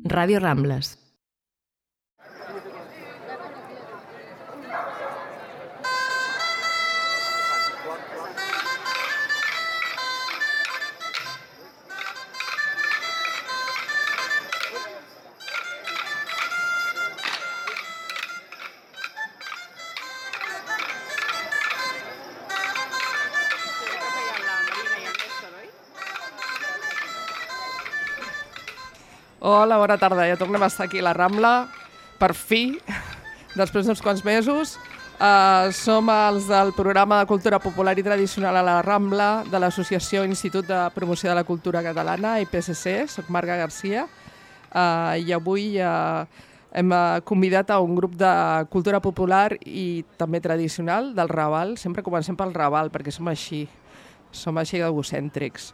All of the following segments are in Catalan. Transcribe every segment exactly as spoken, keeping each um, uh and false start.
Ràdio Rambles. Hola, bona tarda. Ja tornem a estar aquí a la Rambla, per fi, després d'uns quants mesos. Uh, som els del programa de Cultura Popular i Tradicional a la Rambla de l'Associació Institut de Promoció de la Cultura Catalana, I P C C. Soc Marga Garcia uh, i avui uh, hem uh, convidat a un grup de cultura popular i també tradicional del Raval. Sempre comencem pel Raval perquè som així, som així egocèntrics.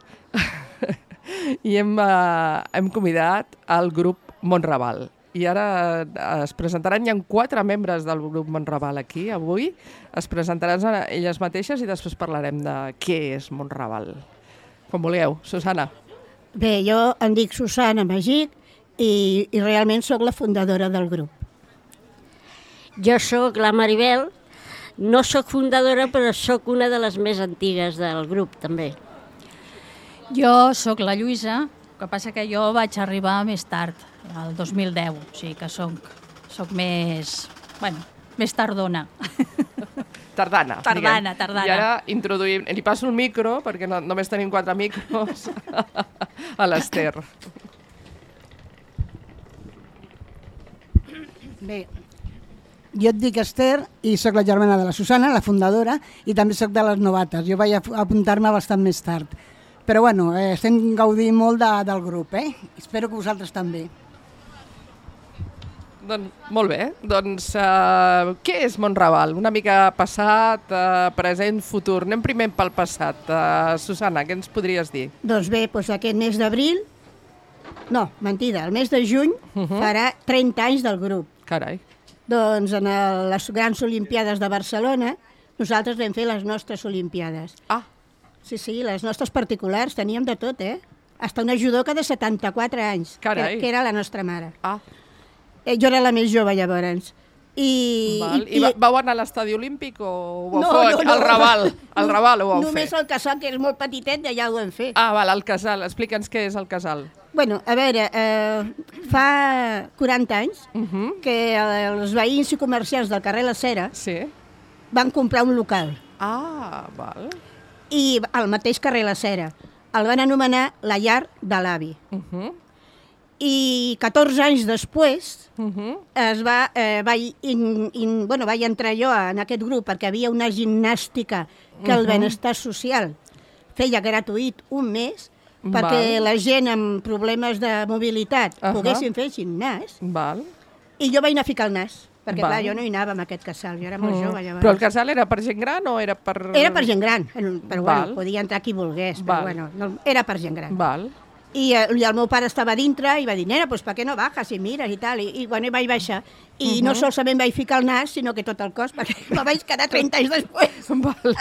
I hem, eh, hem convidat al grup Montraval. I ara eh, es presentaran, hi ha quatre membres del grup Montraval aquí avui, es presentaran elles mateixes i després parlarem de què és Montraval. Com vulgueu. Susana. Bé, jo em dic Susana Magic i, i realment sóc la fundadora del grup. Jo sóc la Maribel, no sóc fundadora però sóc una de les més antigues del grup també. Jo sóc la Lluïsa, el que passa que jo vaig arribar més tard, el dos mil deu, o sigui que soc, soc més, bueno, més tardona. Tardana. Tardana, diguem. tardana. I ara introduïm, li passo el micro, perquè no, només tenim quatre micros, a l'Ester. Bé, jo et dic Ester i sóc la germana de la Susana, la fundadora, i també sóc de les novates. Jo vaig apuntar-me bastant més tard. Però bueno, eh, estem gaudint molt de, del grup, eh? Espero que vosaltres també. Doncs, molt bé. Doncs uh, què és Montraval? Una mica passat, uh, present, futur. Anem primer pel passat. Uh, Susana, què ens podries dir? Doncs bé, doncs aquest mes d'abril, no, mentida, el mes de juny uh -huh. farà trenta anys del grup. Carai. Doncs en el, les grans Olimpiades de Barcelona nosaltres vam fer les nostres Olimpiades. Ah. Sí, sí, les nostres particulars, teníem de tot, eh? Hasta una judoca de setanta-quatre anys, Carai. que, que era la nostra mare. Ah. Eh, jo era la més jove, llavors. I, Val. I, I vau anar a l'estadi olímpic o ho vau no, fer no, no, al Raval? Al Raval ho vau fer? Només el casal, que és molt petitet, i allà ho vam fer. Ah, val, el casal. Explica'ns què és el casal. Bueno, a veure, eh, fa quaranta anys Uh -huh. que els veïns i comerciants del carrer La Cera Sí. van comprar un local. Ah, val. I al mateix carrer La Cera el van anomenar la llar de l'avi. Uh -huh. I catorze anys després Uh -huh. es va, eh, vaig, in, in, bueno, vaig entrar jo en aquest grup perquè havia una gimnàstica que el Uh-huh. benestar social feia gratuït un mes perquè Val. la gent amb problemes de mobilitat Uh-huh. poguessin fer gimnàs. Val. I jo vaig anar a ficar el nas, perquè Val. clar, jo no hi anava amb aquest casal, jo era molt Mm. jove llavors. Però el casal era per gent gran o era per... Era per gent gran, però Val. bueno, podia entrar qui volgués, però Val. bueno, no, era per gent gran. Val. I, eh, I el meu pare estava dintre i va dir, nena, pues, per què no bajas i mires i tal? I, i bueno, i vaig baixar. I uh-huh. no solament vaig ficar el nas, sinó que tot el cos, perquè me vaig quedar trenta anys després. Val.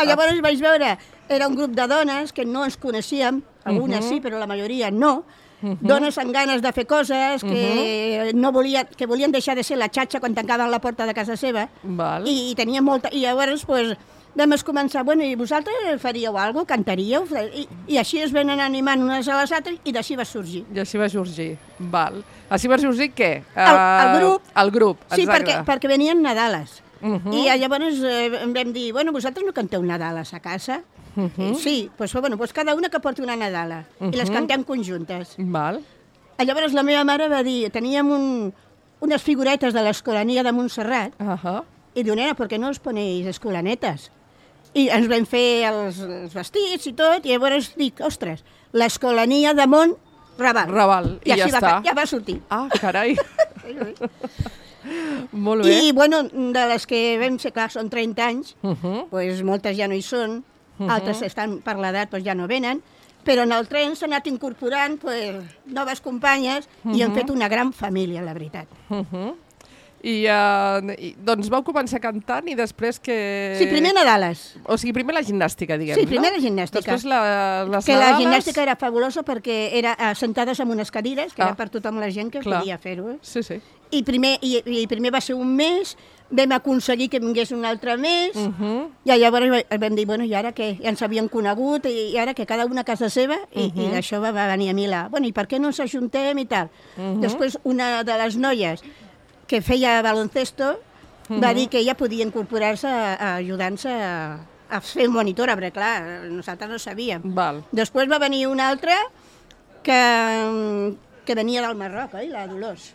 Llavors vaig veure, era un grup de dones que no ens coneixíem, algunes Uh-huh. sí, però la majoria no, uh-huh. dones amb ganes de fer coses, que, uh-huh. no volien, que volien deixar de ser la xatxa quan tancaven la porta de casa seva, Val. i, i tenien molta... I llavors, pues, vam començar, bueno, i vosaltres faríeu alguna cosa, cantaríeu? I, I així es van anar animant unes a les altres i d'així va sorgir. I així va sorgir. Val. Així va sorgir què? El, el grup. Uh, el grup, Sí, exacte. perquè, perquè venien Nadales. Uh-huh. I llavors eh, vam dir, bueno, vosaltres no canteu Nadales a casa? Uh-huh. Sí, doncs bueno, pues cada una que porti una Nadala Uh-huh. i les cantem conjuntes. Val. Llavors la meva mare va dir, teníem un, unes figuretes de l'Escolania de Montserrat Uh-huh. i diu, nena, per què no us ponéis escolanetes? I ens vam fer els, els vestits i tot, i llavors dic, ostres, l'Escolania de Montraval. Raval, i, I ja així està. va, ja va sortir. Ah, carai. Molt bé. I, bueno, de les que vam ser, clar, són trenta anys, Uh-huh. pues, moltes ja no hi són, Uh-huh. altres estan per l'edat, pues, ja no venen, però en el tren s'ha anat incorporant pues, noves companyes uh-huh. i han fet una gran família, la veritat. Uh-huh. I, uh, i doncs vau començar cantant i després que... Sí, primer Nadales. O sigui, primer la gimnàstica, diguem, Sí, primer no? la gimnàstica. Després la, les que nadales... la gimnàstica era fabulosa perquè era uh, sentades en unes cadires, que Ah. era per tothom la gent que Clar. podia fer-ho. Eh? Sí, sí. I primer, i, I primer va ser un mes, vam aconseguir que vingués un altre mes, Uh -huh. i llavors vam dir, bueno, i ara què? Ja ens havíem conegut, i, i ara que cada una a casa seva, i, uh -huh. i d'això va, va venir a mi la... Bueno, i per què no ens ajuntem i tal? Uh -huh. Després, una de les noies que feia baloncesto uh -huh. va dir que ella podia incorporar-se a, a ajudar-nos a, a fer monitora, perquè clar, nosaltres no sabíem. Val. Després va venir una altra que, que venia del Marroc, oi? La Dolors.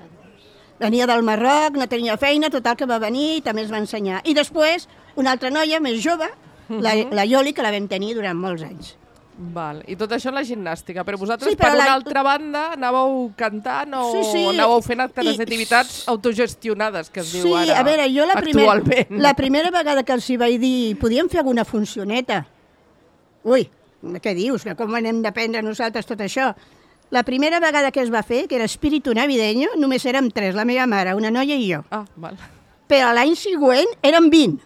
Venia del Marroc, no tenia feina, total que va venir i també ens va ensenyar. I després, una altra noia més jove, la, la Ioli, que la vam tenir durant molts anys. Val. I tot això en la gimnàstica. Però vosaltres, Sí, per però una la- altra banda, anàveu cantant o Sí, sí. anàveu fent altres I- activitats autogestionades, que es Sí, diu ara, a veure, jo la, primer, actualment. la primera vegada que els hi vaig dir podíem fer alguna funcioneta. Ui, què dius? Que com anem d'aprendre nosaltres tot això? La primera vegada que es va fer, que era Espíritu Navideño, només érem tres, la meva mare, una noia i jo. Ah, val. Però l'any següent érem vint,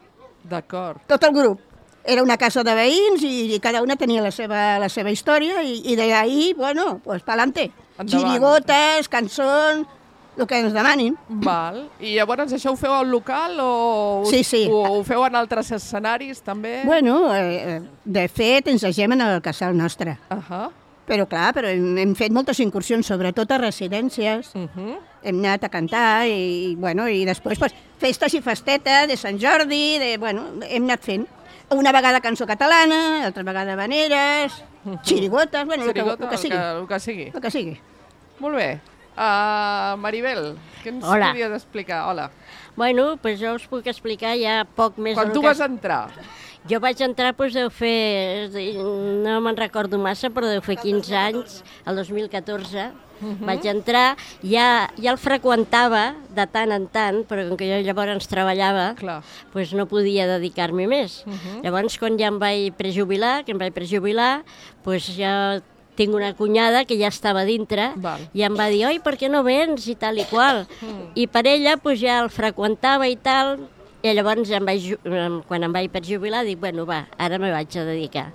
D'acord. tot el grup. Era una casa de veïns i, i cada una tenia la seva, la seva història i, i d'ahir, bueno, pues pa'lante. Endavant. Girigotes, cançons, el que ens demanin. Val. I llavors això ho feu al local o, us- Sí, sí. o ho feu en altres escenaris també? Bueno, eh, de fet, ens agem en el casal nostre. Ahà. Però clar, però hem, hem fet moltes incursions, sobretot a residències. Uh -huh. Hem anat a cantar i, bueno, i després pues, festes i festetes de Sant Jordi, de, bueno, hem anat fent. Una vegada cançó catalana, altra vegada habaneres, xirigotes, bueno, el que, Xirigota, el que sigui. El que, el que sigui. El que sigui. Molt bé. Uh, Maribel, què ens Hola. podries explicar? Hola. Bueno, doncs jo us puc explicar ja poc més Quan del tu que... vas entrar? Jo vaig entrar, doncs, deu fer... és a dir, no me'n recordo massa, però deu fer quinze anys, el dos mil catorze. Uh -huh. Vaig entrar, ja, ja el freqüentava de tant en tant, però com que jo llavors treballava, Clar. doncs no podia dedicar-m'hi més. Uh -huh. Llavors, quan ja em vaig prejubilar, que em vaig prejubilar, doncs ja tinc una cunyada que ja estava dintre. Val. I em va dir, oi, per què no vens i tal i qual. Mm. I per ella doncs, ja el freqüentava i tal, i llavors em vaig, ju- em- quan em vaig per jubilar dic, bueno, va, ara me vaig a dedicar.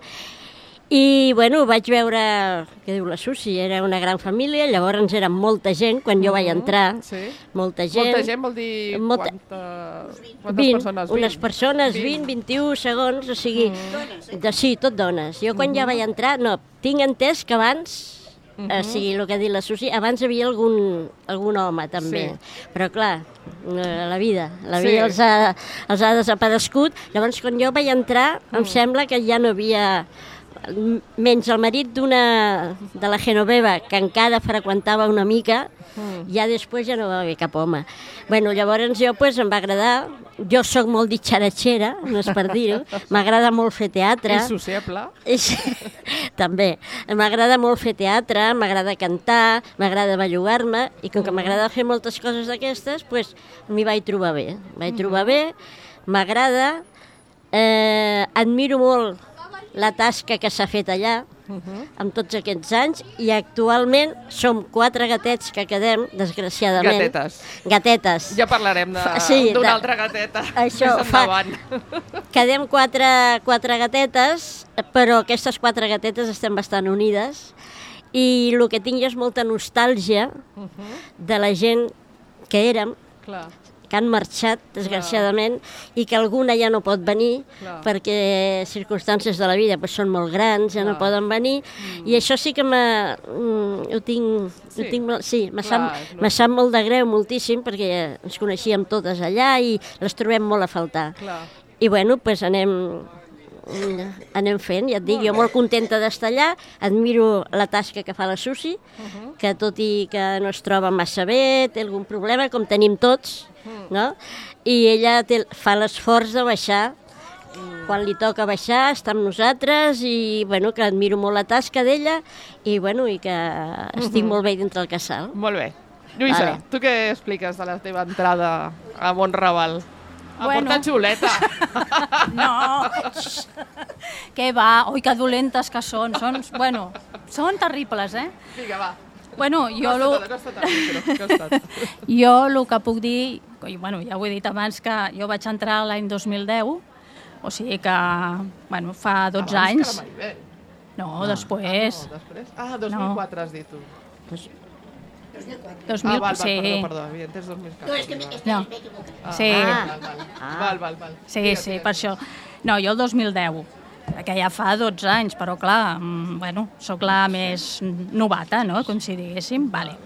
I, bueno, vaig veure, què diu la Susi, era una gran família, llavors érem molta gent quan jo vaig entrar, Sí. molta gent. Molta gent vol dir Molta- quanta... quantes vint, persones? unes persones, vint, vint-i-u segons, o sigui, de, sí, tot dones. Jo quan ja vaig entrar, no, tinc entès que abans, o sigui, el que ha dit la Susi, abans hi havia algun, algun home també, Sí. però clar, eh, la vida, la Sí. vida els, ha, els ha desaparegut. Llavors, quan jo vaig entrar, em sembla que ja no havia, menys el marit d'una de la Genoveva, que encara freqüentava una mica, mm. ja després ja no va haver cap home. Bueno, llavors jo pues, em va agradar, jo sóc molt ditxaratxera, no és per dir-ho, m'agrada molt fer teatre. És sociable. És, també. M'agrada molt fer teatre, m'agrada cantar, m'agrada bellugar-me, i com que m'agrada fer moltes coses d'aquestes, pues, m'hi vaig trobar bé. Vaig trobar bé, m'agrada, eh, admiro molt la tasca que s'ha fet allà, uh -huh. amb tots aquests anys, i actualment som quatre gatets que quedem, desgraciadament. Gatetes. Gatetes. Ja parlarem d'una Sí, de- altra gateta. Això, Més fa- endavant. Quedem quatre, quatre gatetes, però aquestes quatre gatetes estem bastant unides, i el que tinc és molta nostàlgia Uh -huh. de la gent que érem, Clar. que han marxat, desgraciadament, i que alguna ja no pot venir, Clar. perquè circumstàncies de la vida pues, són molt grans, ja no Clar. poden venir, mm. i això sí que m'ha- mm, ho tinc, Sí. ho tinc molt, sí, me Clar, sap, és me sap molt de greu, moltíssim, perquè ens coneixíem totes allà i les trobem molt a faltar. Clar. I bueno, pues anem, anem fent, ja et dic, jo molt contenta d'estar allà, admiro la tasca que fa la Susi, Uh-huh. que tot i que no es troba massa bé, té algun problema, com tenim tots, Mm. no? I ella té, fa l'esforç de baixar, quan li toca baixar, està amb nosaltres, i bueno, que admiro molt la tasca d'ella, i bueno, i que estic molt bé dintre el casal. Molt bé. Lluïsa, Vale. tu què expliques de la teva entrada a Montraval? A Bueno. portar xuleta. No, què va, oi, que dolentes que són, són, bueno, són terribles, eh? Vinga, va. Bueno, jo, lo, Costa-te, costa-te, micro, costa't. jo el que puc dir, i, bueno, ja ho he dit abans que jo vaig entrar l'any dos mil deu, o sigui que, bueno, fa dotze anys. Abans que la Maribel. No, ah. després. Ah, no, després. Ah, dos mil quatre no. Has dit tu. Pues... dos mil... Ah, val, val, sí. perdó, perdó, havia entès dos mil quatre. No, és que m'he no. equivocat. Sí. Ah, val, val, Ah. val, val, val. Sí, Digues, sí, digues. per això. No, jo el dos mil deu, que ja fa dotze anys, però clar, mm, bueno, sóc la més novata, no?, com si diguéssim. Vale.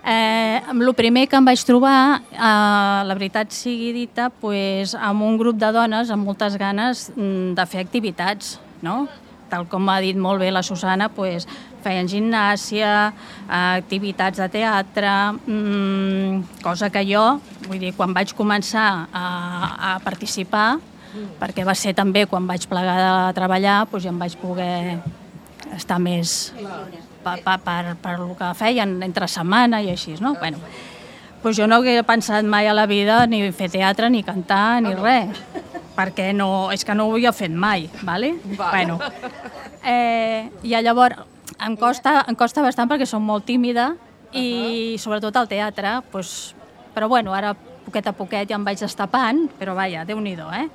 Eh, el primer que em vaig trobar, eh, la veritat sigui dita, pues, amb un grup de dones amb moltes ganes mm, de fer activitats, no? Tal com ha dit molt bé la Susana, pues, feien gimnàsia, activitats de teatre, mmm, cosa que jo, vull dir, quan vaig començar a, a participar, perquè va ser també quan vaig plegar de treballar, doncs ja em vaig poder estar més per, per, per, per el que feien entre setmana i així, no? Bueno, doncs jo no hagué pensat mai a la vida ni fer teatre, ni cantar, ni res, perquè no, és que no ho havia fet mai, ¿vale? Vale. Bueno, eh, i llavors em costa, em costa bastant perquè som molt tímida i sobretot al teatre, doncs, però bueno, ara poquet a poquet ja em vaig destapant, però vaja, Déu-n'hi-do, eh?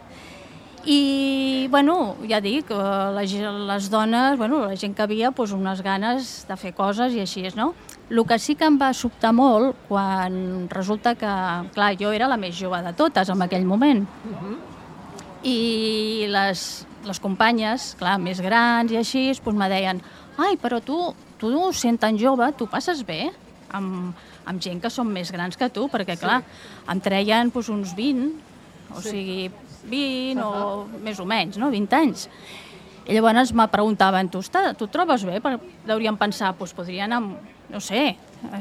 I, bueno, ja dic, les, les dones, bueno, la gent que havia, doncs, unes ganes de fer coses i així, no? El que sí que em va sobtar molt quan resulta que, clar, jo era la més jove de totes en aquell moment. Uh-huh. I les, les companyes, clar, més grans i així, doncs me deien, ai, però tu, tu sent tan jove, tu passes bé amb, amb gent que són més grans que tu, perquè, clar, sí. em treien doncs, uns vint, o sí. sigui, vint uh-huh. o més o menys, no? vint anys. I llavors me preguntaven, tu, tu et trobes bé? Deurien pensar, doncs podria anar, no sé,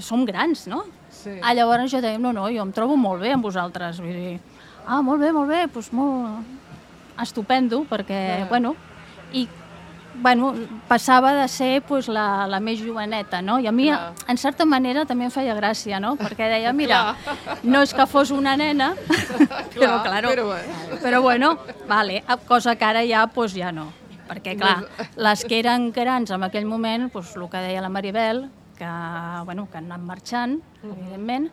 som grans, no? Sí. Ah, llavors jo deia, no, no, jo em trobo molt bé amb vosaltres. Vull dir, ah, molt bé, molt bé, doncs molt estupendo, perquè, uh-huh. bueno, i bueno, passava de ser pues, la, la més joveneta, no? I a mi, clar. En certa manera, també em feia gràcia, no? Perquè deia, mira, no és que fos una nena, però, claro, però, però bueno, vale, cosa que ara ja, pues, ja no. Perquè, clar, les que eren grans en aquell moment, pues, el que deia la Maribel, que, bueno, que han anat marxant, evidentment,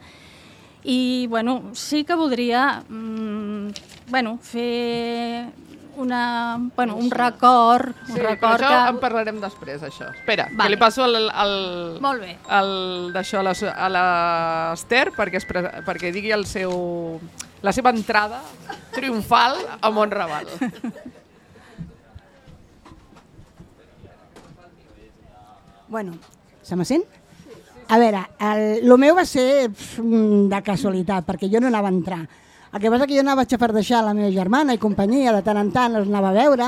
i, bueno, sí que voldria, mmm, bueno, fer... Una, bueno, un record, un sí, record però això que... en parlarem després, això. Espera, vale. que li passo el, el, Molt bé. el, d'això a, la, a l'Ester perquè, es, perquè digui el seu, la seva entrada triomfal a Montraval. Bueno, se me sent? A veure, el, el meu va ser de casualitat, perquè jo no anava a entrar. El que passa que jo anava a xafardeixar la meva germana i companyia, de tant en tant els anava a veure,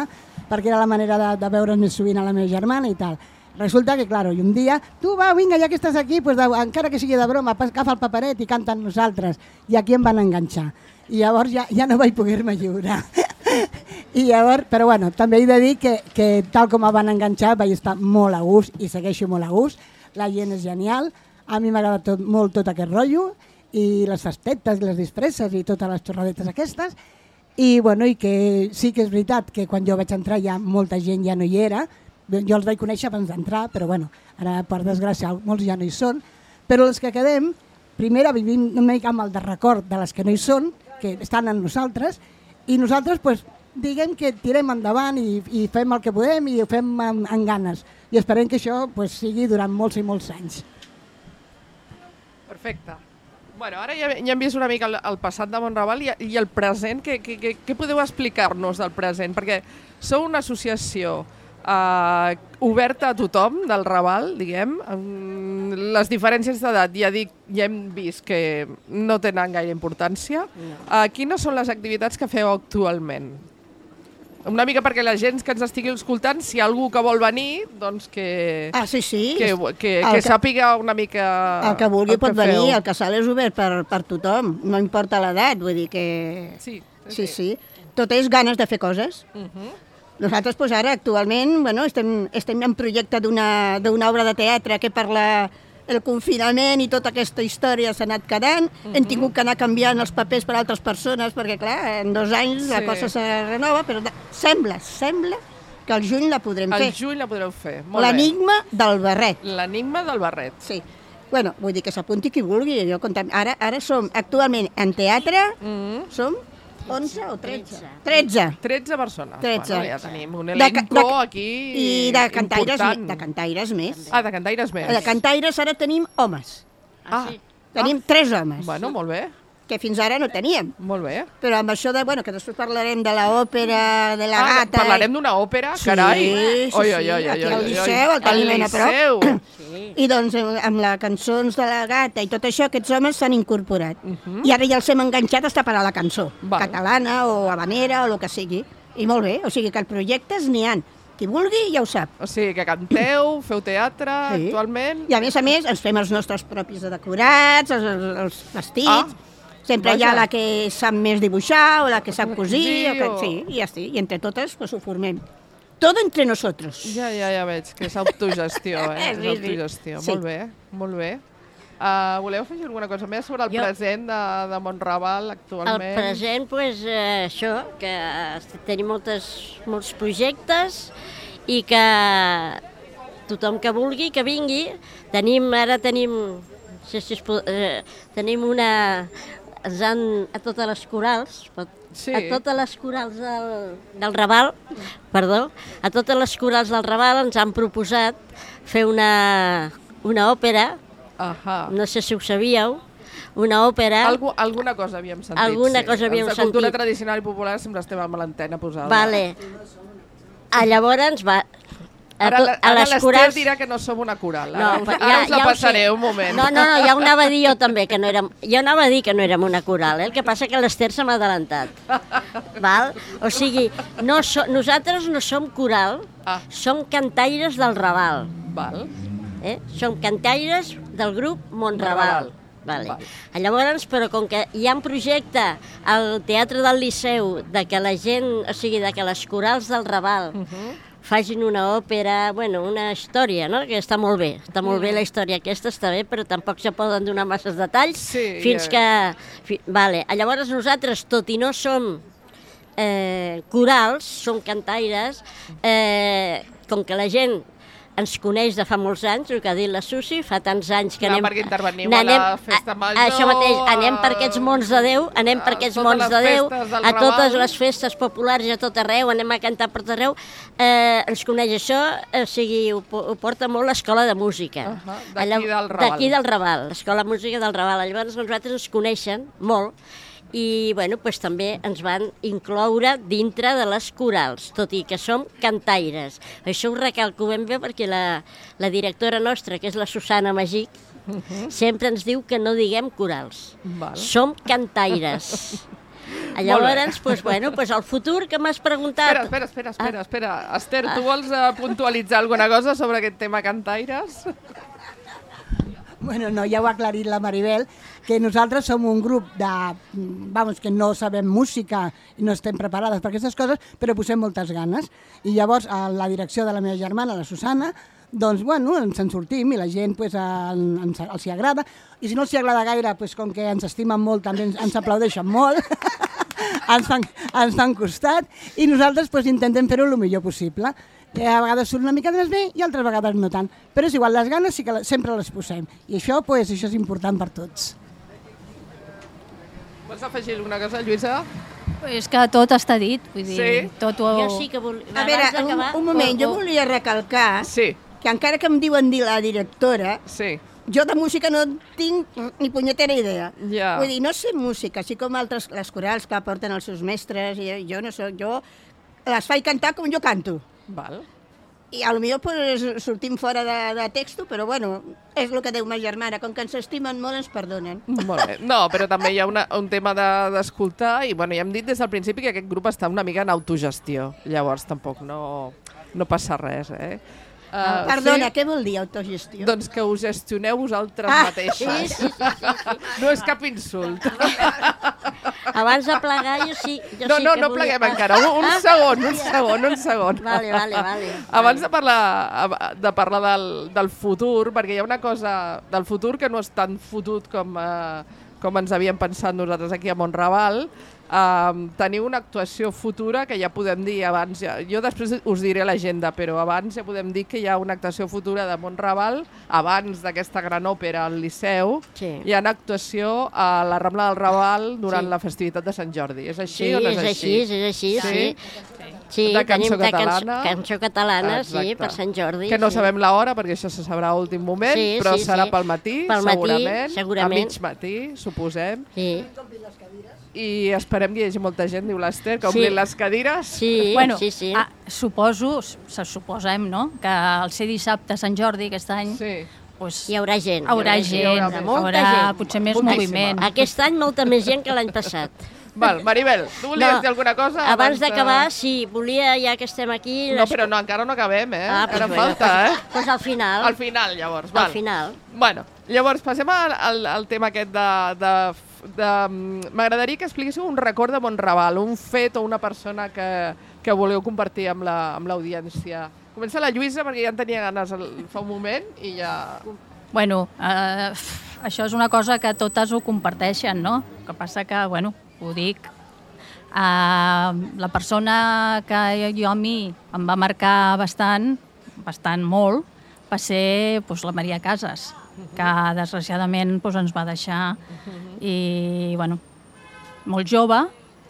perquè era la manera de, de veure's més sovint a la meva germana i tal. Resulta que, clar, i un dia, tu va, vinga, ja que estàs aquí, pues, de, encara que sigui de broma, agafa el paperet i canta amb nosaltres. I aquí em van enganxar. I llavors ja, ja no vaig poder-me lliurar. I llavors, però bueno, també he de dir que, que tal com em van enganxar vaig estar molt a gust i segueixo molt a gust. La gent és genial, a mi m'agrada tot, molt tot aquest rotllo, i les festetes i les disfresses i totes les xorradetes aquestes, i, bueno, i que sí que és veritat que quan jo vaig entrar ja molta gent ja no hi era, jo els vaig conèixer abans d'entrar, però bueno, ara per desgràcia molts ja no hi són, però els que quedem, primera vivim una mica amb el de record de les que no hi són, que estan en nosaltres, i nosaltres, pues, diguem que tirem endavant i, i fem el que podem i ho fem amb, amb ganes, i esperem que això pues, sigui durant molts i molts anys. Perfecte. Bueno, ara ja, ja hem vist una mica el, el passat de Montraval i, i el present. Què, què, què podeu explicar-nos del present? Perquè sou una associació eh, oberta a tothom del Raval, diguem. Les diferències d'edat ja, dic, ja hem vist que no tenen gaire importància. No. Eh, quines són les activitats que feu actualment? Una mica perquè la gent que ens estigui escoltant, si hi ha algú que vol venir, doncs que, ah, sí, sí. que, que, que, que sàpiga una mica el que vulgui el que pot feu. venir, el casal és obert per, per tothom, no importa l'edat, vull dir que... Sí, sí, sí. Tot és ganes de fer coses. Uh-huh. Nosaltres, pues, ara, actualment, bueno, estem, estem en projecte d'una d'una obra de teatre que per la, el confinament i tota aquesta història s'ha anat quedant. Uh-huh. Hem tingut que anar canviant els papers per altres persones perquè, clar, en dos anys sí. la cosa se renova, però sembla, sembla que al juny la podrem al fer. Al juny la podreu fer, molt bé. L'enigma del barret. L'enigma del barret. Sí. Bueno, vull dir que s'apunti qui vulgui. Jo comptam... ara, ara som, actualment, en teatre, Mm. som onze o tretze? tretze. tretze persones. tretze. Bueno, ja tenim un De elenco ca- de- aquí I de cantaires, important. de cantaires més. Ah, de cantaires més. De cantaires ara tenim homes. Ah, Tenim tres homes, bueno, molt bé, que fins ara no teníem. molt bé. Però amb això de, bueno, que després parlarem de l'òpera, de la Ah, gata... parlarem d'una òpera, Sí, carai. sí, Oi, sí, oi, oi, aquí oi, al oi, Liceu, oi. el tenim ben a prop. Liceu. I doncs eh, amb les cançons de la gata i tot això, aquests homes s'han incorporat. Mhm. I ara ja els hem enganxat a per a la cançó, Val. catalana o habanera o el que sigui. I molt bé, o sigui que els projectes n'hi han. Qui vulgui ja ho sap. O sigui, que canteu, feu teatre, Sí. actualment. I a més a més ens fem els nostres propis decorats, els, els, els vestits... Ah, Sempre hi ha vaja. la que sap més dibuixar o la que sap cosir, o que, o- sí, i ja està. I entre totes pues, ho formem. Todo entre nosotros. Ja, ja, ja veig, que és autogestió, eh? Sí, És sí. autogestió. Sí. Molt bé, molt bé. Uh, voleu afegir alguna cosa més sobre el Jo- present de, de Montraval El actualment? present, pues, eh, això, que eh, tenim moltes, molts projectes i que tothom que vulgui, que vingui. Tenim, ara tenim, no sé si es pot, eh, tenim una... Ens han, a totes les corals, pot, Sí. a totes les corals del, del Raval, perdó, a totes les corals del Raval ens han proposat fer una, una òpera, Ahà. no sé si ho sabíeu, una òpera... Algu, alguna cosa havíem sentit, Alguna sí. cosa havíem Els de cultura sentit. tradicional i popular sempre estem amb l'antena posada. Vale. A llavors va... A, Ara, to- la- a ara les l'Ester corals... dirà que no som una coral. No, Ara, però ara us la ho sé. passaré un moment. No, no, no, ja ho anava a dir jo també, que no érem... Jo anava a dir que no érem una coral, eh? El que passa que l'Ester se m'ha adelantat. Val? O sigui, no so, nosaltres no som coral, Ah. som cantaires del Raval. Val. Eh? Som cantaires del grup Montraval. Vale. Val. Llavors, però com que hi ha un projecte al Teatre del Liceu de que la gent, o sigui, de que les corals del Raval Uh -huh. facin una òpera, bueno, una història, no? Que està molt bé, està molt bé la història aquesta, està bé, però tampoc se poden donar masses detalls Sí, fins ja. que... Fi, vale. Llavors nosaltres, tot i no som eh, corals, som cantaires, eh, com que la gent ens coneix de fa molts anys, el que ha dit la Susi, fa tants anys que Clar, anem... perquè interveniu a la festa major, Això mateix, anem per a- aquests mons de Déu, anem per a aquests totes mons les de Déu, festes del a totes Raval. les festes populars i a tot arreu, anem a cantar per tot arreu, eh, ens coneix això, o sigui, ho, po- ho porta molt l'escola de música. Ahà, d'aquí Allà- del Raval. D'aquí del Raval, l'escola de música del Raval. Llavors nosaltres ens coneixen molt i bueno, pues, també ens van incloure dintre de les corals, tot i que som cantaires. Això ho recalco ben bé perquè la, la directora nostra, que és la Susana Magí, sempre ens diu que no diguem corals. Val. Som cantaires. Llavors, pues, bueno, pues, el futur que m'has preguntat... Espera, espera, espera, espera, espera. Ester, tu vols uh, puntualitzar alguna cosa sobre aquest tema cantaires? Bueno, no, ja ho ha aclarit la Maribel, que nosaltres som un grup de, vamos, que no sabem música i no estem preparades per aquestes coses, però posem moltes ganes. I llavors, a la direcció de la meva germana, la Susana, doncs, bueno, ens en sortim i la gent pues, en, ens, els hi agrada. I si no els hi agrada gaire, pues, com que ens estimen molt, també ens, ens aplaudeixen molt, ens, fan, ens fan costat i nosaltres pues, intentem fer-ho el millor possible. Que a vegades surt una mica més bé i altres vegades no tant. Però és igual, les ganes sí que la- sempre les posem. I això, pues, això és important per tots. Vols afegir alguna cosa, Lluïsa? És que tot està dit, vull dir, Sí. tot ho... Jo sí que vol... A veure, abans un, d'acabar, un moment, o- jo o- volia recalcar Sí, que encara que em diuen dir la directora, sí. jo de música no tinc ni punyetera idea. Ja. Vull dir, no sé música, així com altres, les corals que porten els seus mestres, i jo no soc, jo les faig cantar com jo canto. Val. I a lo millor pues, sortim fora de, de texto, però bueno, és el que diu ma germana, com que ens estimen molt ens perdonen. Molt bé. No, però també hi ha una, un tema de- d'escoltar i bueno, ja hem dit des del principi que aquest grup està una mica en autogestió. Llavors tampoc no, no passa res, eh? Uh, Perdona, què vol dir autogestió? Doncs que us gestioneu vosaltres Ah, mateixes. sí, sí, sí, No és cap insult. Abans de plegar, jo sí... Jo No, sí no, que no volia... pleguem encara. Un, un segon, un segon, un segon. Vale, vale, vale. Abans de parlar, de parlar del, del futur, perquè hi ha una cosa del futur que no és tan fotut com, eh, com ens havíem pensat nosaltres aquí a Montraval. Uh, teniu una actuació futura que ja podem dir abans, ja, jo després us diré l'agenda, però abans ja podem dir que hi ha una actuació futura de Montraval, abans d'aquesta gran òpera al Liceu, Sí. hi ha una actuació a la Rambla del Raval durant Sí. la festivitat de Sant Jordi. És així Sí, o no és, és així, és així, sí. Sí? Sí, De cançó tenim de catalana. Cançó, cançó catalana, Exacte. sí, per Sant Jordi. Que no sí. sabem l'hora, perquè això se sabrà a últim moment, Sí, però sí, serà sí. pel matí, Pel matí, segurament, segurament. a mig matí, suposem. Sí, I esperem que hi hagi molta gent, diu l'Ester, que Sí. omplin les cadires. sí, bueno, sí, sí. Ah, suposo, se suposem, no?, que al ser dissabte Sant Jordi aquest any, Sí. pues, Hi haurà gent. haurà hi gent, hi haurà, haurà molta gent. potser més Moltíssima. moviment. Aquest any molta més gent que l'any passat. Val, Maribel, tu volies No, dir alguna cosa? Abans de- d'acabar, sí, volia, ja que estem aquí... No, però no, encara no acabem, eh? Ah, Encara doncs, falta, eh? Doncs al final. Al final, llavors. Al Val. final. Bueno, llavors passem al, al, al tema aquest de... de, de M'agradaria que expliquéssiu un record de Montraval, un fet o una persona que, que voleu compartir amb la- amb l'audiència. La, Comença la Lluïsa, perquè ja en tenia ganes el, fa un moment i ja... Bueno, eh, això és una cosa que totes ho comparteixen, no? El que passa que, bueno, ho dic, eh, la persona que jo a mi em va marcar bastant, bastant molt, va ser doncs, la Maria Casas, que desgraciadament doncs, ens va deixar i, bueno, molt jove,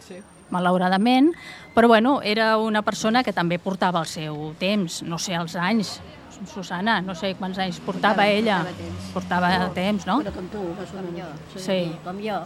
Sí. malauradament, però bueno, era una persona que també portava el seu temps, no sé els anys. Susana, no sé quants anys portava ella. portava temps. Portava temps, no? Però com tu, més o menys. Sí. Com jo.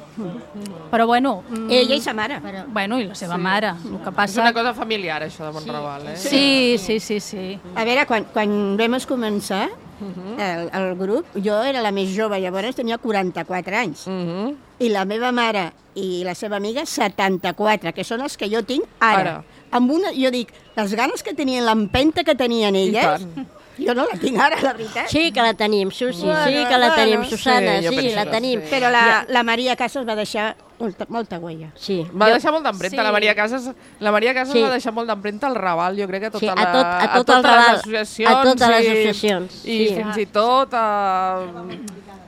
Però bueno... mm, Ella i sa mare. Però, Bueno, i la seva mare. El que És passa... una cosa familiar, això de Montraval, eh? Sí, sí, sí, sí. A veure, quan, quan vam començar el, el grup, jo era la més jove, llavors tenia quaranta-quatre anys. Mhm. I la meva mare i la seva amiga setanta-quatre, que són els que jo tinc ara. Ara. Amb una, jo dic, les ganes que tenien, l'empenta que tenien elles, tant. jo no la tinc ara, la veritat. sí que la tenim, Susi, sí Bueno, que la bueno, tenim, sí, Susana, jo sí, penso la que tenim. sí. Però la, la Maria Casas va deixar molta, molta huella. Sí. Va Jo- deixar molt d'empremta, Sí. la Maria Casas, la Maria Casas Sí. va deixar molt d'empremta al Raval, jo crec que a tota Sí, a la, tot- a tot totes el Raval, les associacions. a totes les i- associacions, I sí. fins i tot a...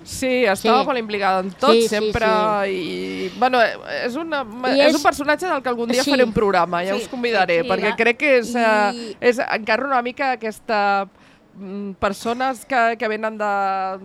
Sí, estava Sí. molt implicada en tot, Sí, sí, sempre, sí. i... Bueno, és, una, I és és- un personatge del que algun dia Sí. faré un programa, ja Sí, us convidaré, sí, perquè va. crec que és, eh, I- és encara una mica aquesta... mm, persones que, que venen de,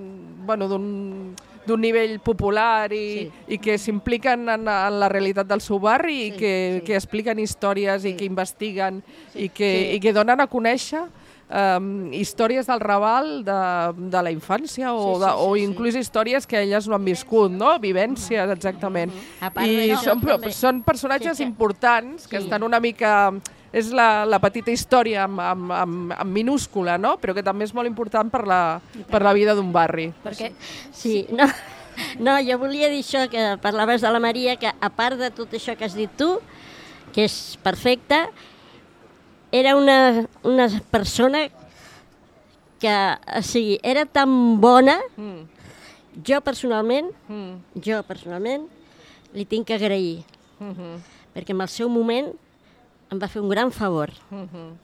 bueno, d'un d'un nivell popular i, Sí. i que s'impliquen en, en la realitat del seu barri i Sí, que, sí. que expliquen històries i que investiguen i, que, Sí. i que donen a conèixer um, històries del Raval de, de la infància o, Sí, de, sí, o sí, sí. inclús històries que elles no han viscut, no? Vivències, exactament. A part I d'això, són, també- són personatges Sí, sí. importants que Sí. estan una mica... És la, la petita història amb, amb, amb, amb minúscula, no? Però que també és molt important per la, per la vida d'un barri. Perquè Sí, no, no, jo volia dir això, que parlaves de la Maria, que a part de tot això que has dit tu, que és perfecta, era una, una persona que, o sigui, era tan bona, Mm, jo personalment, mm, jo personalment, li tinc que agrair, mhm, perquè en el seu moment em va fer un gran favor. mhm.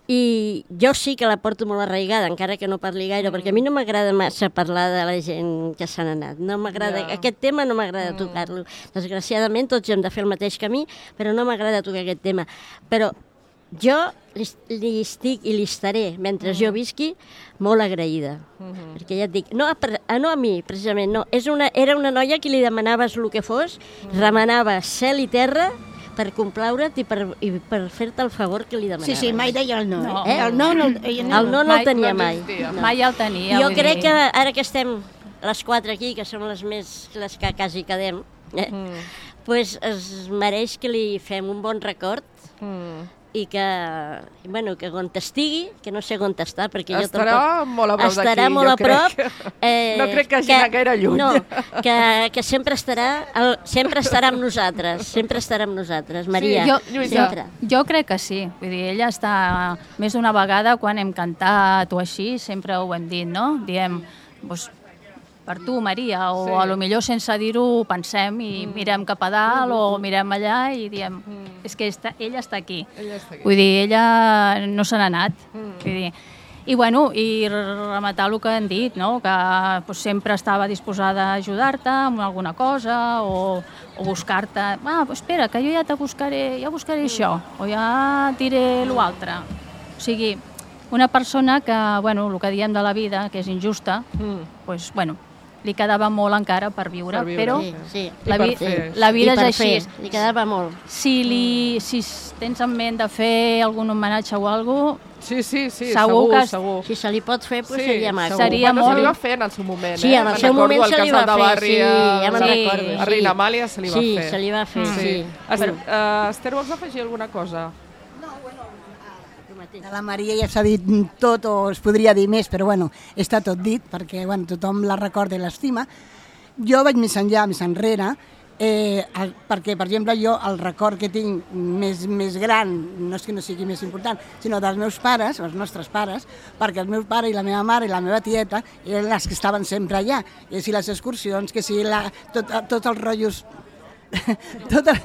I jo sí que la porto molt arraigada, encara que no parli gaire, mm. perquè a mi no m'agrada massa parlar de la gent que s'han anat. No m'agrada, Ja. aquest tema no m'agrada mm. tocar-lo. Desgraciadament tots hem de fer el mateix camí, però no m'agrada tocar aquest tema. Però jo li, li estic i li estaré, mentre mm. jo visqui, molt agraïda. Mm-hmm. Perquè ja et dic, no a, a, no a mi, precisament, no. És una, era una noia que li demanaves el que fos, mm. remenava cel i terra per complaure't i per, i per fer-te el favor que li demanaves. Sí, sí, mai deia el no. No. Eh? El no, no, ella no. El no no Mai- el tenia no mai. existia. No. mai el tenia. Jo vull crec dir. que ara que estem les quatre aquí, que som les més les que quasi quedem, eh? Mm. pues es mereix que li fem un bon record Mm. i que, bueno, que on estigui, que no sé on està, perquè jo Estarà tampoc... molt a prop d'aquí, Estarà molt jo a prop. crec. No crec que hagi anat gaire lluny. No, que, que sempre estarà, el, sempre estarà amb nosaltres, sempre estarà amb nosaltres, Maria. Jo, Lluïsa. sempre. jo crec que sí. Vull dir, ella està més d'una vegada quan hem cantat o així, sempre ho hem dit, no? Diem, doncs, per tu, Maria, o Sí. a lo millor sense dir-ho ho pensem i mm. mirem cap a dalt o mirem allà i diem, mm. és que està, ella està aquí. Ella està aquí. Vull dir, ella no se n'ha anat. Mm. Vull dir, I, bueno, i rematar el que han dit, no? Que pues, sempre estava disposada a ajudar-te amb alguna cosa o, o buscar-te... Ah, pues espera, que jo ja te buscaré, ja buscaré això, o ja diré l'altre. O sigui, una persona que, bueno, el que diem de la vida, que és injusta, mm. pues, bueno, li quedava molt encara per viure, per viure. Però sí, sí. La, vi la vida és així. Fer. Li quedava molt. Si, li, si tens en ment de fer algun homenatge o alguna cosa, sí, sí, sí, segur, segur, que... segur. Si se li pot fer, pues sí, seria maco. Seria bueno, molt... se li va fer en el seu moment, sí, eh? en el seu moment se li va fer, barri, sí, ja me'n sí. recordo. A Reina Amàlia se li va sí, fer. Sí, se li va fer, mm. sí. Ester, uh, Ester, vols afegir alguna cosa? De la Maria ja s'ha dit tot o es podria dir més, però bueno, està tot dit perquè bueno, tothom la recorda i l'estima. Jo vaig més enllà, més enrere, eh, el, perquè, per exemple, jo el record que tinc més, més gran, no és que no sigui més important, sinó dels meus pares, els nostres pares, perquè el meu pare i la meva mare i la meva tieta eren les que estaven sempre allà. I si les excursions, que si la, tot, tots els rotllos... tot el,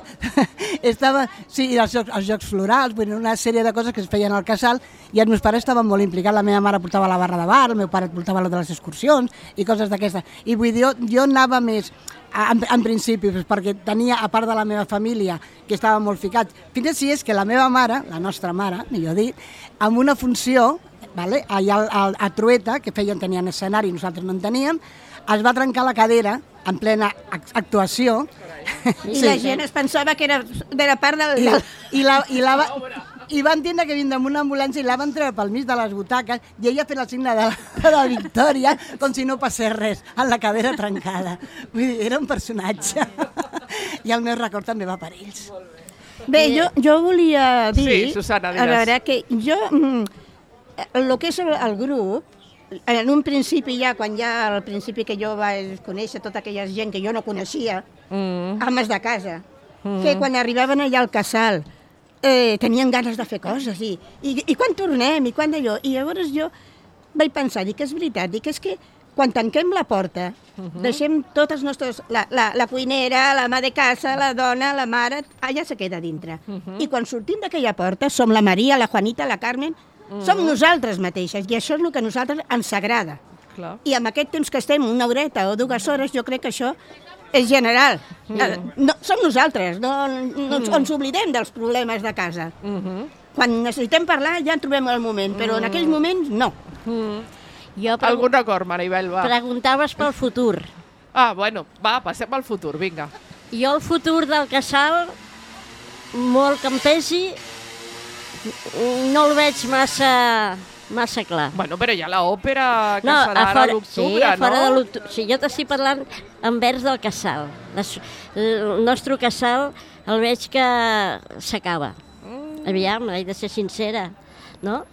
estava, sí, els jocs, els jocs florals, una sèrie de coses que es feien al casal i els meus pares estaven molt implicats. La meva mare portava la barra de bar, el meu pare portava la de les excursions i coses d'aquestes. I vull dir, jo, jo anava més en, en principi, perquè tenia, a part de la meva família, que estava molt ficat. Fins i tot és que la meva mare, la nostra mare, millor dit, amb una funció, vale, allà a, a Trueta, que feien, tenien escenari, nosaltres no en teníem, es va trencar la cadera en plena actuació. I sí, la gent es pensava que era, era part del... I, i, la, i, la, i va entendre que vindre amb una ambulància i la van treure pel mig de les butaques i ella fent el signe de la, de la victòria com si no passés res, amb la cadera trencada. Vull dir, era un personatge. I el meu record també va per ells. Bé, jo, jo volia dir... Sí, Susana, diràs. A veure, que jo... El que és el, el grup, en un principi ja, quan ja al principi que jo vaig conèixer tota aquella gent que jo no coneixia, mm. ames de casa, mm. que quan arribaven allà al casal eh, tenien ganes de fer coses i, i, i quan tornem i quan d'allò. I llavors jo vaig pensar, dic, és veritat, dic, és que quan tanquem la porta, uh-huh. deixem totes nostres... La, la, la cuinera, la mà de casa, la dona, la mare, allà se queda dintre. Uh-huh. I quan sortim d'aquella porta som la Maria, la Juanita, la Carmen... Mm. Som nosaltres mateixes, i això és el que a nosaltres ens agrada. Clar. I amb aquest temps que estem, una horeta o dues hores, jo crec que això és general. Mm. No, som nosaltres, no, no mm. ens oblidem dels problemes de casa. Mm-hmm. Quan necessitem parlar ja en trobem el moment, però mm. en aquells moments no. Mm. Jo Algun acord, Maribel, va. Preguntaves pel futur. Ah, bueno, va, passem al futur, vinga. Jo el futur del casal, molt que em pesi, no el veig massa, massa clar. Bueno, però hi ha l'òpera que no, serà fora, a l'octubre, sí, a fora no? de l'octubre. Sí, jo t'estic parlant envers del casal. El nostre casal el veig que s'acaba. Mm. Aviam, he de ser sincera, no?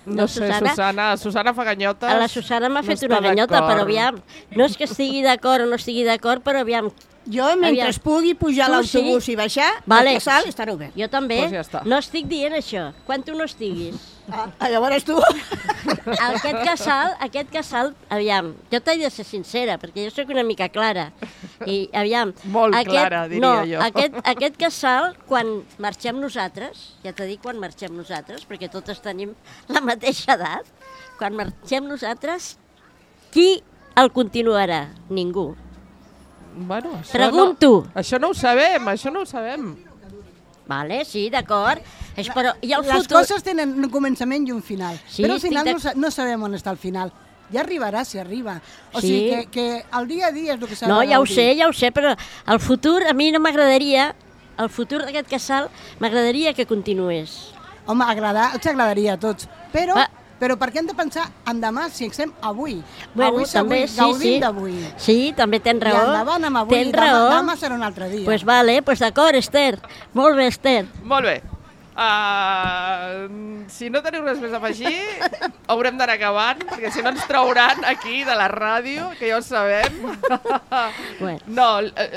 No, no sé, Susana, Susana, Susana fa ganyotes. A la Susana m'ha fet no una ganyota, però aviam, no és que estigui d'acord o no estigui d'acord, però aviam... Jo, mentre aviam. pugui pujar a l'autobús sí? i baixar, vale. el casal estarà obert. Jo també. Pues ja està. No estic dient això. Quan tu no estiguis. Ah, llavors tu. Aquest casal, aquest casal, aviam, jo t'he de ser sincera, perquè jo sóc una mica clara. I, aviam... Molt aquest, clara, diria no, jo. Aquest, aquest casal, quan marxem nosaltres, ja t'he dit quan marxem nosaltres, perquè totes tenim la mateixa edat, quan marxem nosaltres, qui el continuarà? Ningú. Bueno, això Pregunto. No, això no ho sabem, això no ho sabem. Vale, sí, d'acord. Però i el Les futur... coses tenen un començament i un final. Sí, però al final de... no, no sabem on està el final. Ja arribarà si arriba. O sí. sigui que, que el dia a dia és el que s'ha no, de ja ho sé, ja ho sé, però el futur a mi no m'agradaria, el futur d'aquest casal m'agradaria que continués. Home, agradar, ens agradaria a tots. Però... Va. Però per què hem de pensar en demà si estem avui? Bueno, avui també, avui, sí, gaudim sí. d'avui. Sí, també tens raó. I endavant amb avui, tens demà, raó. demà serà un altre dia. Doncs pues vale, pues d'acord, Ester. Molt bé, Ester. Molt bé. Uh, si no teniu res més a afegir, haurem d'anar acabant, perquè si no ens trauran aquí de la ràdio, que ja ho sabem. Bueno. No,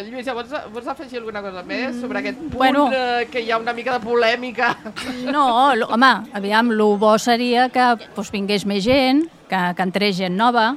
Lluïsa, vols, vols afegir alguna cosa més sobre aquest punt bueno, uh, que hi ha una mica de polèmica? No, home, aviam, el bo seria que pues, vingués més gent, que, que entrés gent nova,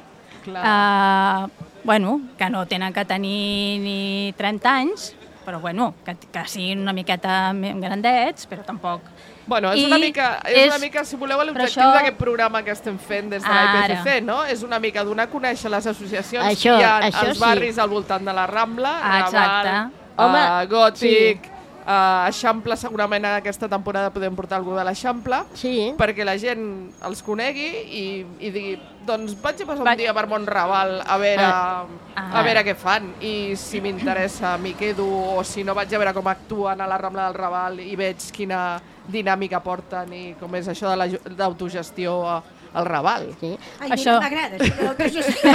uh, bueno, que no tenen que tenir ni trenta anys, però bueno, que, que siguin una miqueta grandets, però tampoc Bueno, és I una mica, és, és- una mica, si voleu, l'objectiu això- d'aquest programa que estem fent des de la I P C C, Ara. no? És una mica donar a conèixer les associacions Això- que hi ha això als sí. barris al voltant de la Rambla, Ah, exacte. Raval, Home, uh, Gòtic, uh, Eixample, segurament aquesta temporada podem portar algú de l'Eixample, Sí. perquè la gent els conegui i, i digui, doncs vaig a passar un Vaig- dia per Montraval a veure, Ah. a veure què fan, i si m'interessa m'hi quedo, o si no vaig a veure com actuen a la Rambla del Raval i veig quina dinàmica porten i com és això de la ju- d'autogestió a- al Raval. Sí. Ai, Això- mira, m'agrada, això de l'autogestió.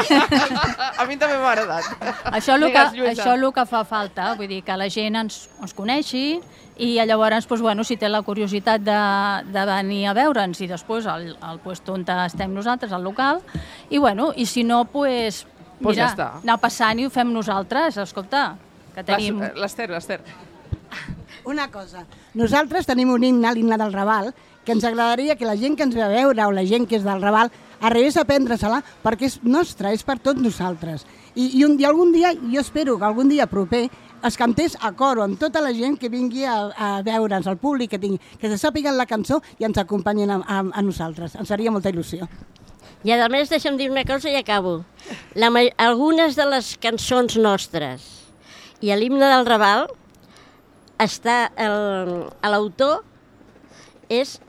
A mi també m'ha agradat. Això el que, Digues, Lluïsa. això el que fa falta, vull dir, que la gent ens, ens coneixi i llavors, doncs, bueno, si té la curiositat de, de venir a veure'ns i després al, al puesto on estem nosaltres, al local, i bueno, i si no, pues, Pues mira, ja està. anar passant i ho fem nosaltres, escolta, que tenim... L'Ester, l'Ester. Una cosa, nosaltres tenim un himne, l'himne del Raval, que ens agradaria que la gent que ens ve a veure o la gent que és del Raval arribés a prendre-se-la perquè és nostra, és per tots nosaltres. I, i, un, I algun dia, jo espero que algun dia proper es cantés a coro amb tota la gent que vingui a, a veure'ns, el públic que tingui, que se sàpiguen la cançó i ens acompanyin a, a, a nosaltres. Ens faria molta il·lusió. I a més, deixa'm dir una cosa i acabo. La, ma- algunes de les cançons nostres i a l'himne del Raval està el- l'autor és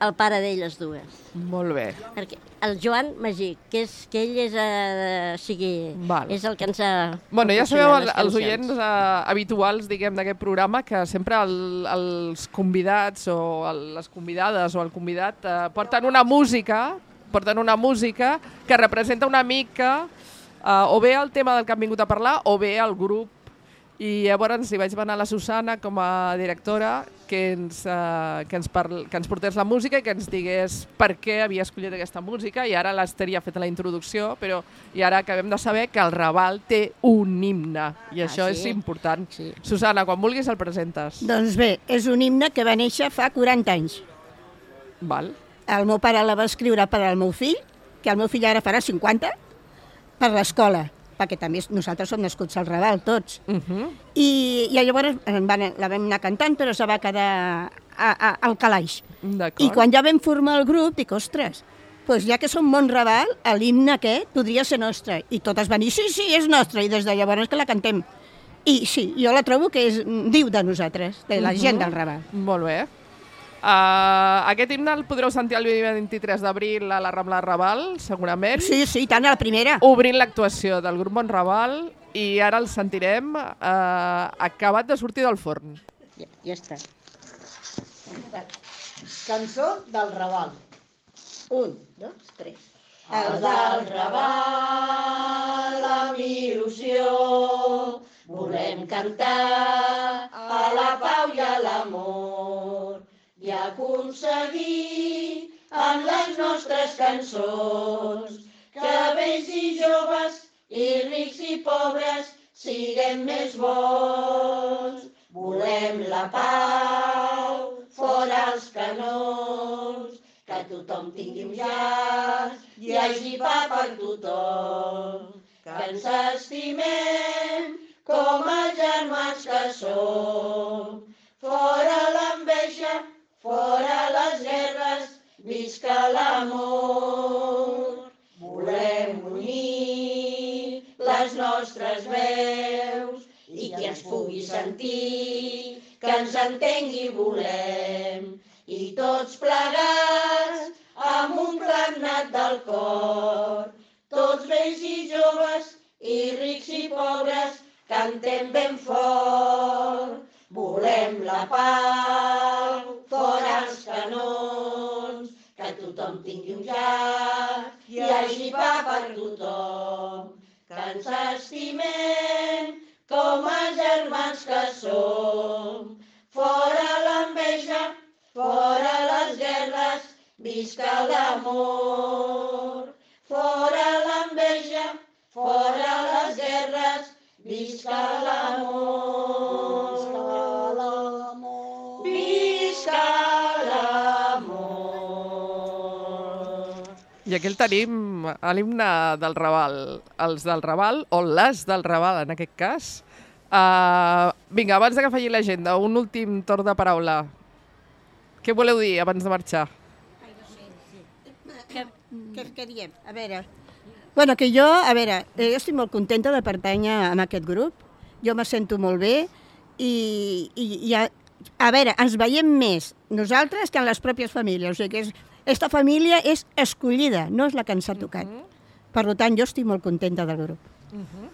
el pare d'elles dues. Molt bé. Perquè el Joan Magí, que, és, que ell és, eh, o sigui, Val. és el que ens ha... Bueno, ja sabeu, proporcionat el, les els cançons. oients uh, habituals, diguem, d'aquest programa, que sempre el, els convidats o el, les convidades o el convidat uh, porten una música, porten una música que representa una mica uh, o bé el tema del que han vingut a parlar o bé el grup. I llavors li vaig demanar a la Susana, com a directora, que ens, uh, que, ens parl que ens portés la música i que ens digués per què havia escollit aquesta música. I ara l'Ester ja ha fet la introducció, però i ara acabem de saber que el Raval té un himne. I això sí? és important. Sí. Susana, quan vulguis el presentes. Doncs bé, és un himne que va néixer fa quaranta anys. Val? El meu pare la va escriure per al meu fill, que el meu fill ara farà cinquanta, per l'escola, perquè també nosaltres som nascuts al Raval, tots. Uh -huh. I, i llavors en van, la vam anar cantant, però se va quedar a, a, al calaix. D'acord. I quan ja vam formar el grup, dic, ostres, doncs ja que som Montraval, l'himne aquest podria ser nostre. I totes van dir, sí, sí, és nostre, i des de llavors que la cantem. I sí, jo la trobo que és, diu de nosaltres, de la gent del Raval. Molt bé. Uh, aquest himne el podreu sentir el dia vint-i-tres d'abril a la Rambla de Raval, segurament. Sí, sí, tant, a la primera. Obrint l'actuació del grup Montraval i ara el sentirem uh, acabat de sortir del forn. Ja, ja està. Cançó del Raval. Un, dos, tres. El del Raval amb il·lusió volem cantar a la pau i a l'amor i aconseguir amb les nostres cançons que vells i joves i rics i pobres siguem més bons. Volem la pau fora els canons, que tothom tingui un llaç i hi hagi pa per tothom, que ens estimem com els germans que som. Fora l'enveja, fora les guerres, visca l'amor. Volem unir les nostres veus i qui ens pugui sentir, que ens entengui volem. I tots plegats, amb un clam nat del cor, tots vells i joves, i rics i pobres, cantem ben fort. Volem la pau, fora els canons, que tothom tingui un llaç, i hi hagi pa per tothom, que ens estimem com a germans que som. Fora l'enveja, fora les guerres, visca l'amor. Fora l'enveja, fora les guerres, visca l'amor. Visca l'amor. I aquí el tenim, a l'himne del Raval, els del Raval, o les del Raval, en aquest cas. Uh, vinga, abans de que faci l'agenda, un últim torn de paraula. Què voleu dir abans de marxar? Què, què, què diem? A veure... Bueno, que jo, a veure, eh, jo estic molt contenta de pertànyer a aquest grup. Jo me sento molt bé i, i, i a, a veure, ens veiem més nosaltres que en les pròpies famílies. O sigui que és, esta família és escollida, no és la que ens ha tocat. Uh -huh. Per tant, jo estic molt contenta del grup. Uh -huh.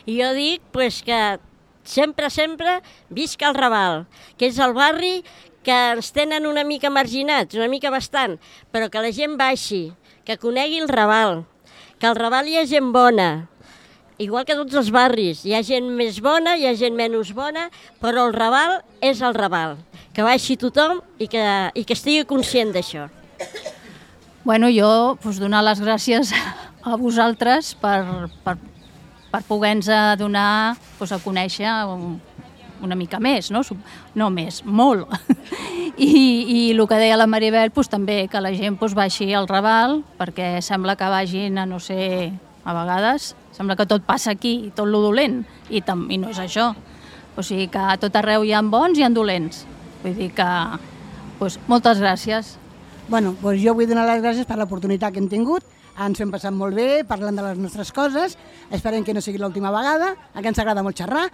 I jo dic pues, que sempre, sempre visca el Raval, que és el barri que ens tenen una mica marginats, una mica bastant, però que la gent baixi, que conegui el Raval, que al Raval hi ha gent bona, igual que tots els barris. Hi ha gent més bona, hi ha gent menys bona, però el Raval és el Raval. Que baixi tothom i que, i que estigui conscient d'això. Bueno, jo pues, donar les gràcies a vosaltres per, per, per poder-nos donar pues, a conèixer un, una mica més, no? No més, molt. I, i el que deia la Maribel, pues, també que la gent pues, baixi al Raval, perquè sembla que vagin a no sé, a vegades, sembla que tot passa aquí, tot lo dolent, i, tam, i no és això. O sigui que a tot arreu hi ha bons i hi ha dolents. Vull dir que, pues, moltes gràcies. Bueno, doncs jo vull donar les gràcies per l'oportunitat que hem tingut. Ens hem passat molt bé, parlant de les nostres coses. Esperem que no sigui l'última vegada, que ens agrada molt xerrar.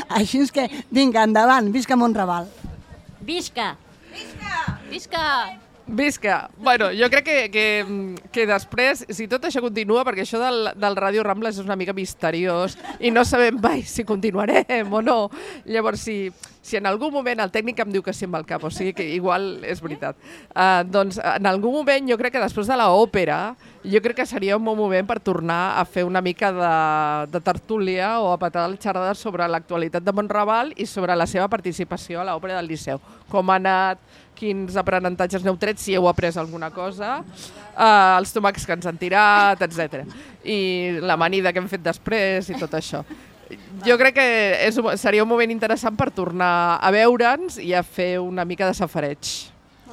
Així és que, vinga, endavant, visca Montraval. Visca! Visca! Visca! Visca! Bueno, jo crec que, que, que després, si tot això continua, perquè això del, del Ràdio Rambla és una mica misteriós i no sabem mai si continuarem o no. Llavors, si, si en algun moment el tècnic em diu que sí amb el cap, o sigui que igual és veritat, uh, doncs en algun moment jo crec que després de l'òpera jo crec que seria un bon moment per tornar a fer una mica de, de tertúlia o a patar les xerrades sobre l'actualitat de Montraval i sobre la seva participació a l'òpera del Liceu. Com ha anat, quins aprenentatges n'heu tret, si heu après alguna cosa, uh, els tomacs que ens han tirat, etcètera. I l'amanida que hem fet després i tot això. Jo crec que és, seria un moment interessant per tornar a veure'ns i a fer una mica de safareig.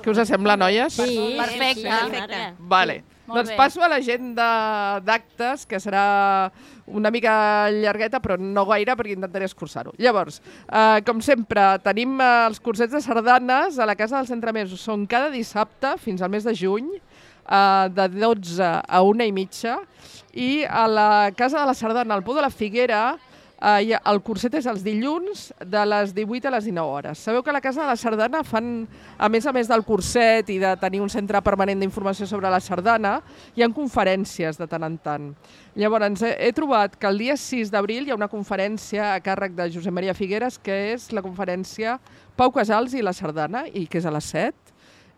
Què us sembla, noies? Sí, Perfecte. sí, Perfecte. Vale. Molt Doncs bé. passo a l'agenda d'actes, que serà una mica llargueta, però no gaire, perquè intentaré escurçar-ho. Llavors, eh, com sempre, tenim eh, els cursets de sardanes a la Casa dels Entremesos. Són cada dissabte, fins al mes de juny, eh, de dotze a una i mitja, i a la Casa de la Sardana, al Pou de la Figuera, Uh, el curset és els dilluns de les divuit a les dinou hores. Sabeu que a la Casa de la Sardana fan, a més a més del curset i de tenir un centre permanent d'informació sobre la sardana, hi ha conferències de tant en tant. Llavors, he, he trobat que el dia sis d'abril hi ha una conferència a càrrec de Josep Maria Figueres, que és la conferència Pau Casals i la sardana, i que és a les set.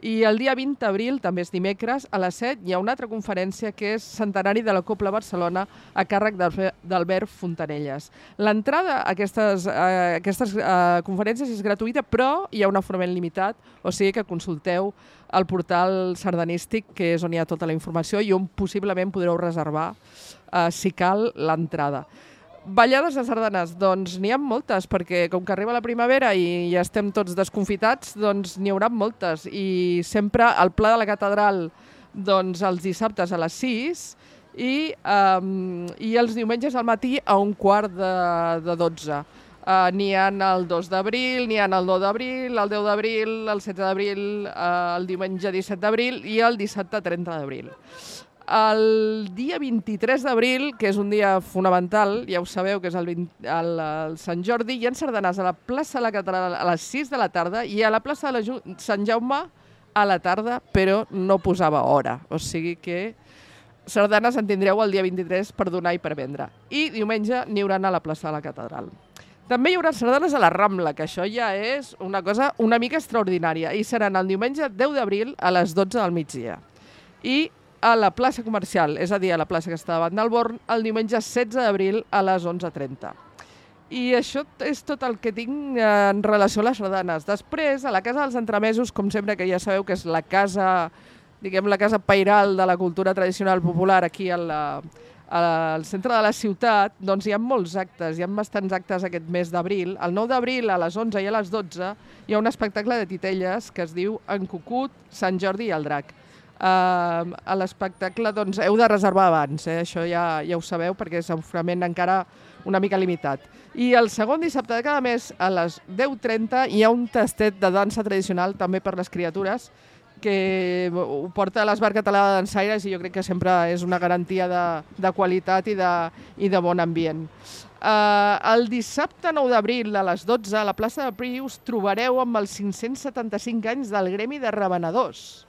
I el dia vint d'abril, també és dimecres, a les set hi ha una altra conferència que és Centenari de la Copla Barcelona a càrrec d'Albert Fontanelles. L'entrada a aquestes, a aquestes a conferències és gratuïta, però hi ha un aforament limitat, o sigui que consulteu el portal sardanístic, que és on hi ha tota la informació i on possiblement podreu reservar, eh, si cal, l'entrada. Ballades de sardanes, doncs n'hi ha moltes, perquè com que arriba la primavera i ja estem tots desconfitats, doncs n'hi haurà moltes. I sempre al Pla de la Catedral, doncs els dissabtes a les sis i, um, i els diumenges al matí a un quart de, de dotze. Uh, n'hi ha el dos d'abril, n'hi ha el nou d'abril, el deu d'abril, el setze d'abril, uh, el diumenge disset d'abril i el dissabte trenta d'abril. El dia vint-i-tres d'abril, que és un dia fonamental, ja ho sabeu, que és el, vint, el, el Sant Jordi, hi ha sardanes a la plaça de la Catedral a les sis de la tarda i a la plaça de la Sant Jaume a la tarda, però no posava hora. O sigui que sardanes en tindreu el dia vint-i-tres per donar i per vendre. I diumenge n'hi haurà a la plaça de la Catedral. També hi haurà sardanes a la Rambla, que això ja és una cosa una mica extraordinària, i seran el diumenge deu d'abril a les dotze del migdia. I a la plaça comercial, és a dir, a la plaça que està davant del Born, el diumenge setze d'abril a les onze trenta. I això és tot el que tinc en relació a les sardanes. Després, a la Casa dels Entremesos, com sempre, que ja sabeu que és la casa, diguem, la casa pairal de la cultura tradicional popular aquí a la, al centre de la ciutat, doncs hi ha molts actes, hi ha bastants actes aquest mes d'abril. El nou d'abril, a les onze i a les dotze, hi ha un espectacle de titelles que es diu En Cucut, Sant Jordi i el Drac. Uh, a l'espectacle doncs, heu de reservar abans, eh? Això ja, ja ho sabeu perquè és aforament encara una mica limitat. I el segon dissabte de cada mes a les deu trenta hi ha un tastet de dansa tradicional també per les criatures que ho porta a l'Esbar Català de Dansaires i jo crec que sempre és una garantia de, de qualitat i de, i de bon ambient. Uh, el dissabte nou d'abril a les dotze a la plaça de Prí us trobareu amb els cinc-cents setanta-cinc anys del Gremi de Revenedors.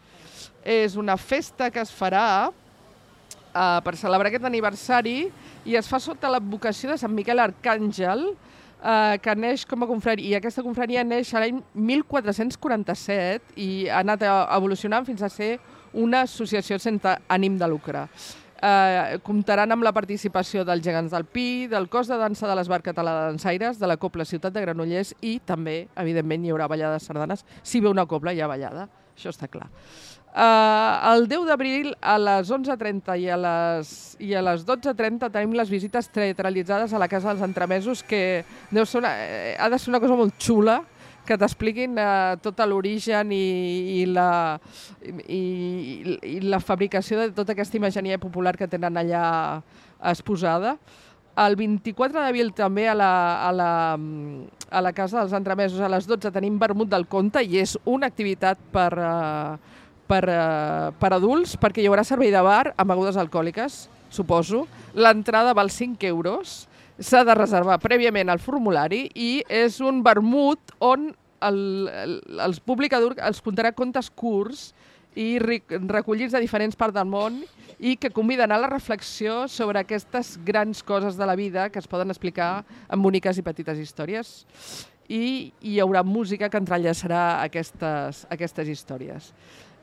És una festa que es farà uh, per celebrar aquest aniversari i es fa sota l'advocació de Sant Miquel Arcàngel, uh, que neix com a confraria. I aquesta confraria neix a l'any mil quatre-cents quaranta-set i ha anat evolucionant fins a ser una associació sense ànim de lucre. Uh, comptaran amb la participació dels Gegants del Pi, del cos de dansa de l'Esbar Català de Dansaires, de la Cobla Ciutat de Granollers i també, evidentment, hi haurà ballada de sardanes. Si ve una cobla, hi ha ballada, això està clar. Uh, el deu d'abril a les onze trenta i a les, i a les dotze trenta tenim les visites teatralitzades a la Casa dels Entremesos, que deu ser una, eh, ha de ser una cosa molt xula, que t'expliquin uh, tot l'origen i, i, la, i, i la fabricació de tota aquesta imagineria popular que tenen allà exposada. El vint-i-quatre d'abril també a la, a, la, a la Casa dels Entremesos a les dotze tenim vermut del conte i és una activitat per... Uh, Per, uh, per adults, perquè hi haurà servei de bar amb begudes alcohòliques, suposo. L'entrada val cinc euros, s'ha de reservar prèviament al formulari i és un vermut on el, el, els publicadors els contarà contes curts i recollits de diferents parts del món i que conviden a la reflexió sobre aquestes grans coses de la vida que es poden explicar en boniques i petites històries. I hi haurà música que entrellaçarà aquestes, aquestes històries.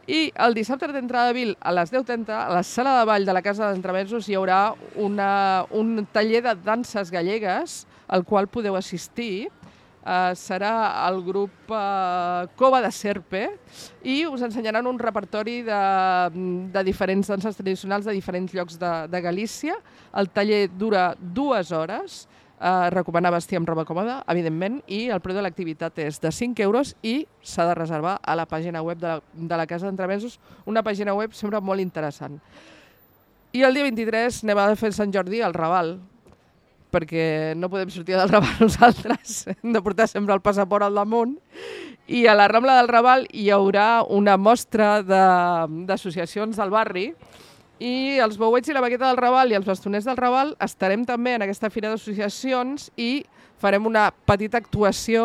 I el dissabte trenta d'abril a les deu trenta a la sala de ball de la Casa d'Entremesos hi haurà una, un taller de danses gallegues al qual podeu assistir. Uh, serà el grup uh, Cova de Serpe i us ensenyaran un repertori de, de diferents danses tradicionals de diferents llocs de, de Galícia. El taller dura dues hores. Uh, recomanar vestir amb roba còmoda, evidentment, i el preu de l'activitat és de cinc euros i s'ha de reservar a la pàgina web de la, de la Casa d'Entremesos, una pàgina web sempre molt interessant. I el dia vint-i-tres anem a fer Sant Jordi al Raval, perquè no podem sortir del Raval nosaltres, hem de portar sempre el passaport al damunt, i a la Rambla del Raval hi haurà una mostra d'associacions del barri. I els bouets i la baqueta del Raval i els bastoners del Raval estarem també en aquesta fira d'associacions i farem una petita actuació,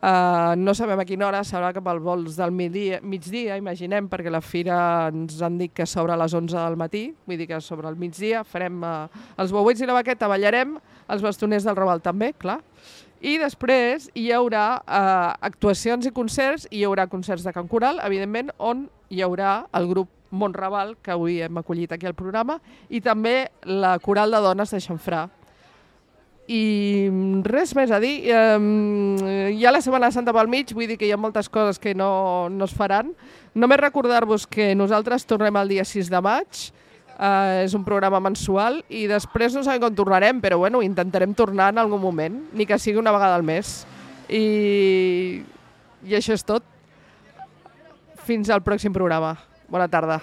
uh, no sabem a quina hora, serà cap al vols del migdia, migdia, imaginem, perquè la fira ens han dit que s'obre a les onze del matí, vull dir que sobre el migdia farem uh, els bouets i la baqueta, ballarem, els bastoners del Raval també, clar. I després hi haurà uh, actuacions i concerts, i hi haurà concerts de cant coral, evidentment, on hi haurà el grup Montraval, que avui hem acollit aquí al programa, i també la coral de dones de Xamfrà. I res més a dir. Eh, hi ha la Setmana Santa pel mig, vull dir que hi ha moltes coses que no, no es faran. Només recordar-vos que nosaltres tornem el dia sis de maig, eh, és un programa mensual, i després no sabem com tornarem, però bueno, intentarem tornar en algun moment, ni que sigui una vegada al mes. I, i això és tot. Fins al pròxim programa. Bona tarda.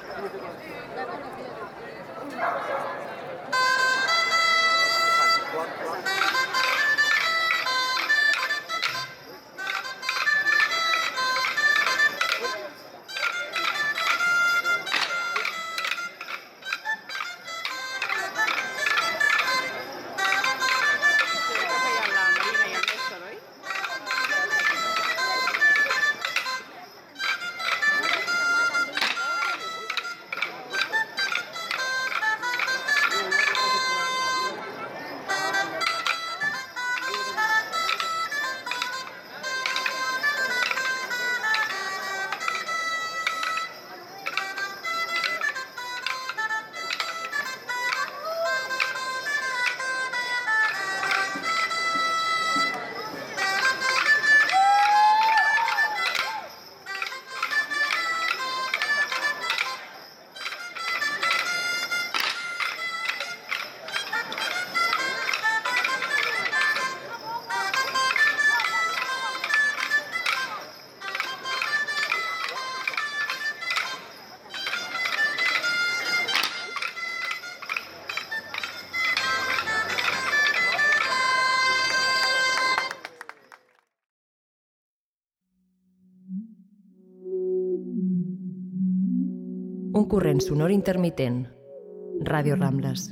Un corrent sonor intermitent. Ràdio Rambles.